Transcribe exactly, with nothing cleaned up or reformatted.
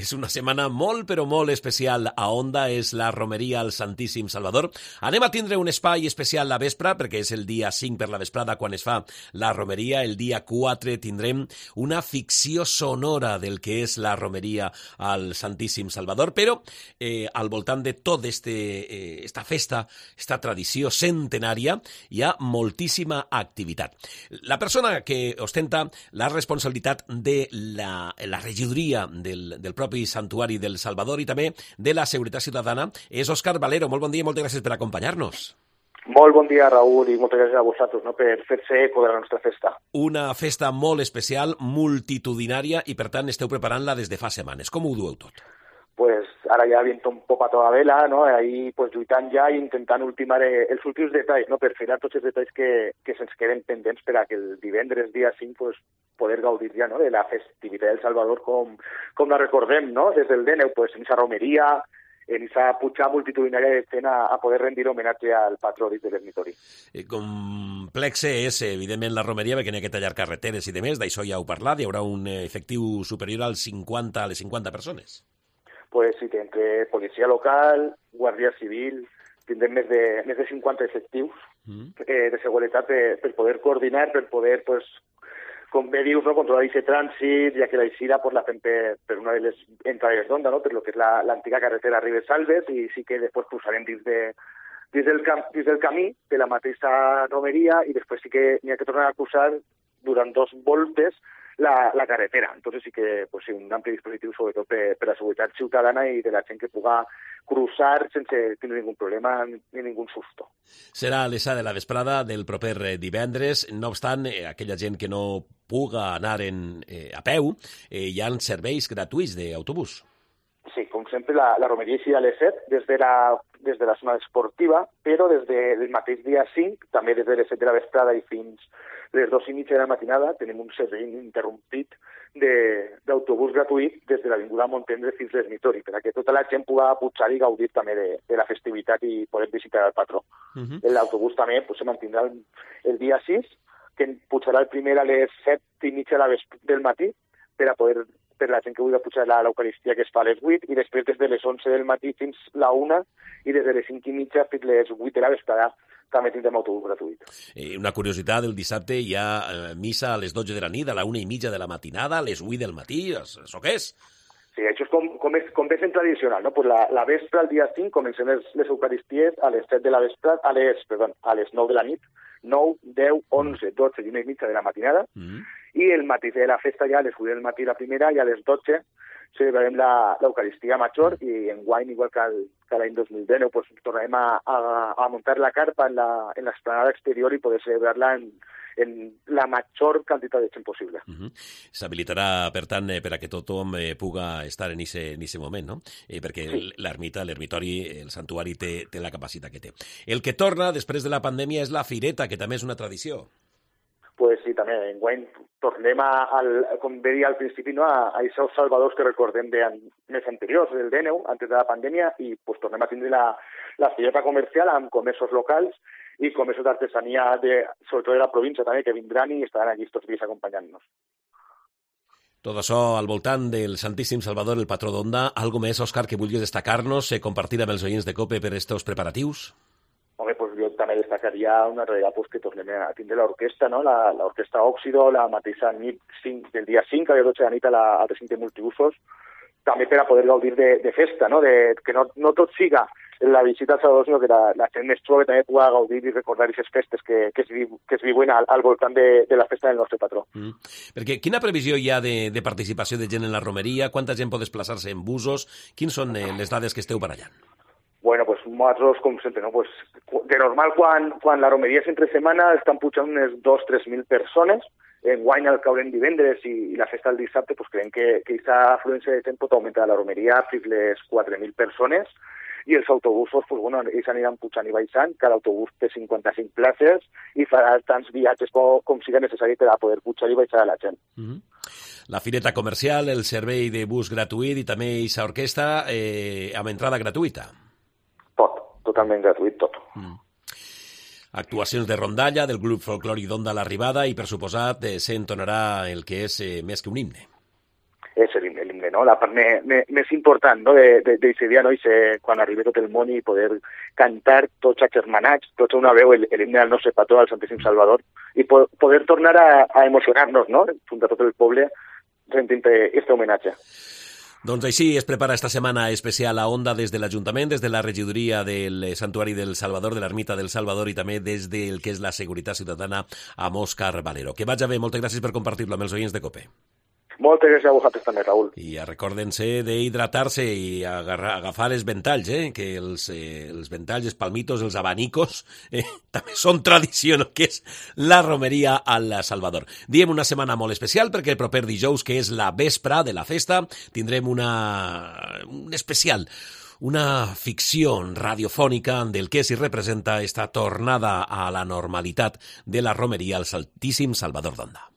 És una setmana molt, però molt especial a Onda, és la romeria al Santíssim Salvador. Anem a tindre un espai especial la vespra, perquè és el dia cinc per la vesprada quan es fa la romeria. El dia quatre tindrem una ficció sonora del que és la romeria al Santíssim Salvador, però eh, al voltant de tota este, eh, esta festa, esta tradició centenària, hi ha moltíssima activitat. La persona que ostenta la responsabilitat de la, la regidoria del, del propi Santuari del Salvador i també de la Seguretat Ciutadana és Òscar Valero. Molt bon dia i moltes gràcies per acompanyar-nos. Molt bon dia, Raül, i moltes gràcies a vosaltres, no, per fer-se eco de la nostra festa. Una festa molt especial, multitudinària, i per tant esteu preparant-la des de fa setmanes. Com ho dueu tot? Pues ara ja viento un poc a toda vela, no? Ahí pues lluitant ja i intentant ultimar els últims detalls, no? Per filar tots els detalls que, que se'ns queden pendents per a que el divendres dia cinc pues, poder gaudir ja, no? De la festivitat del Salvador com, com la recordem, no? Des del D N U, pues, en esa romeria, en esa puja multitudinària de fent a, a poder rendir homenatge al patró de l'ermitori. Eh, complexe és, evidentment, la romeria, perquè n'hi ha que tallar carreteres i demés, d'això ja heu parlat, hi haurà un efectiu superior als cinquanta, a les cinquanta persones. Pues sí, entre policia local, guàrdia civil, tindrem més de, més de cinquanta efectius mm. eh, de seguretat per, per poder coordinar, per poder, pues, com bé dius, no, controlar aquest trànsit, ja que la eixida pues, la fem per, per una de les entrades d'Onda, no, per lo que és l'antiga la, carretera Ribes-Salves, i sí que després posarem dins, de, dins, del, cam, dins del camí de la mateixa romeria, i després sí que n'hi ha que tornar a cruzar durant dos voltes La, la carretera. Entonces sí que pues, sí, un ampli dispositiu sobretot per, per la seguretat ciutadana i de la gent que puga cruzar sense tenir ningú problema ni ningú susto. Serà a les set de la vesprada del proper divendres. No obstant, eh, aquella gent que no puga anar en, eh, a peu, eh, hi ha serveis gratuïts d'autobús. Sí, com sempre, la, la romeria eixirà a les set des de la, des de la zona esportiva, però des del mateix dia cinc, també des de les set de la vesprada i fins les dos i mitja de la matinada, tenim un servei interrompit d'autobús gratuït des de l'Avinguda Montendre fins a l'ermitori, perquè tota la gent pugui pujar i gaudir també de, de la festivitat i poder visitar el patró. Uh -huh. L'autobús també pues, se mantindrà el, el dia sis, que pujarà el primer a les set i mitja del matí per a poder per la gent que vulgui pujar l'Eucaristia, que es fa a les vuit, i després des de les onze del matí fins la una, i des de les cinc i mitja fins les vuit de la vesprada també tindrem autobús gratuït. Eh, una curiositat, el dissabte hi ha eh, missa a les dotze de la nit, a la una i mitja de la matinada, a les vuit del matí, això què és? Sí, això és com, com, és, com és en tradicional, no? Pues la, la vespre, el dia cinc, comencem les, les Eucaristies a les set de la vespre, a les, perdó, a les nou de la nit, nou, deu, onze, dotze i una i mitja de la matinada, mm. i el matí de la festa ja a les vuit del matí la primera i a les dotze celebrarem l'Eucaristia Major, i en guany, igual que, el, que l'any dos mil dinou, pues, tornarem a, a, a muntar la carpa en l'esplanada exterior i poder celebrar-la en, en la major quantitat de gent possible. Uh -huh. S'habilitarà, per tant, eh, per a que tothom eh, puga estar en aquest moment, no? Eh, perquè sí. l'ermita, l'ermitori, el santuari té, té la capacitat que té. El que torna després de la pandèmia és la fireta, que també és una tradició. Pues sí, també, enguany tornem a, al, com bé dir al principi, no, a, a aquests salvadors que recordem de an, més anteriors, del D N U, antes de la pandèmia, i pues, tornem a tindre la, la fireta comercial amb comerços locals i comerços d'artesania, de, sobretot de la província també, que vindran i estaran allí tots dies acompanyant-nos. Tot això al voltant del Santíssim Salvador, el patró d'Onda. Algo més, Òscar, que vulguis destacar-nos, eh, compartir amb els oients de COPE per estos preparatius? Home, pues jo també destacaria una realidad pues, que tornem a tindre l'orquestra, no? L'orquestra Òxido, la mateixa nit cinc, del dia cinc a les dotze de la nit a la, al recinte multiusos, també per a poder gaudir de, de festa, no? De, que no, no tot siga la visita al Salvador, sinó que la, la gent més jove també pugui gaudir i recordar aquestes festes que, que, es, que es viuen al, al voltant de, de la festa del nostre patró. Mm. Perquè quina previsió hi ha de, de participació de gent en la romeria? Quanta gent pot desplaçar-se en busos? Quins són eh, les dades que esteu barallant? Bueno, pues nosaltres, com sempre, no? Pues, de normal, quan, quan la romeria és entre setmana, estan pujant unes dos o tres mil persones. Enguany, al caure en divendres i, i la festa del dissabte, pues, creiem que aquesta afluència de gent pot augmentar la romeria fins les quatre mil persones, i els autobusos, pues, bueno, ells aniran pujant i baixant. Cada autobús té cinquanta-cinc places i farà tants viatges com siga necessari per a poder pujar i baixar a la gent. Mm-hmm. La fireta comercial, el servei de bus gratuït i també aquesta orquestra eh, amb entrada gratuïta. Tot, totalment gratuït, tot. Mm. Actuacions de rondalla del grup folclòric d'Onda a l'arribada i, per suposat, eh, s'entonarà el que és eh, més que un himne. És l'himne no? La part més, més important, no?, d'aquest dia, no?, i ser, quan arribi tot el món i poder cantar tots agermanats, tots a una veu, l'himne del nostre patró, al Santíssim Salvador, i po poder tornar a, a emocionar-nos, no?, junt a tot el poble, sentint aquest homenatge. Doncs així es prepara esta setmana especial a Onda des de l'Ajuntament, des de la regidoria del Santuari del Salvador, de l'Ermita del Salvador, i també des del que és la Seguretat Ciutadana amb Òscar Valero. Que vaig bé, moltes gràcies per compartir-lo amb els oients de COPE. Moltes gràcies a vosaltres també, Raül. I recorden-se d'hidratar-se i agarrar, agafar els ventalls, eh? que els, eh, els ventalls, els palmitos, els abanicos, eh? també són tradició, no? Que és la romeria al Salvador. Diem una setmana molt especial perquè el proper dijous, que és la vespra de la festa, tindrem una, un especial, una ficció radiofònica del que s'hi representa esta tornada a la normalitat de la romeria al Santíssim Salvador d'Onda.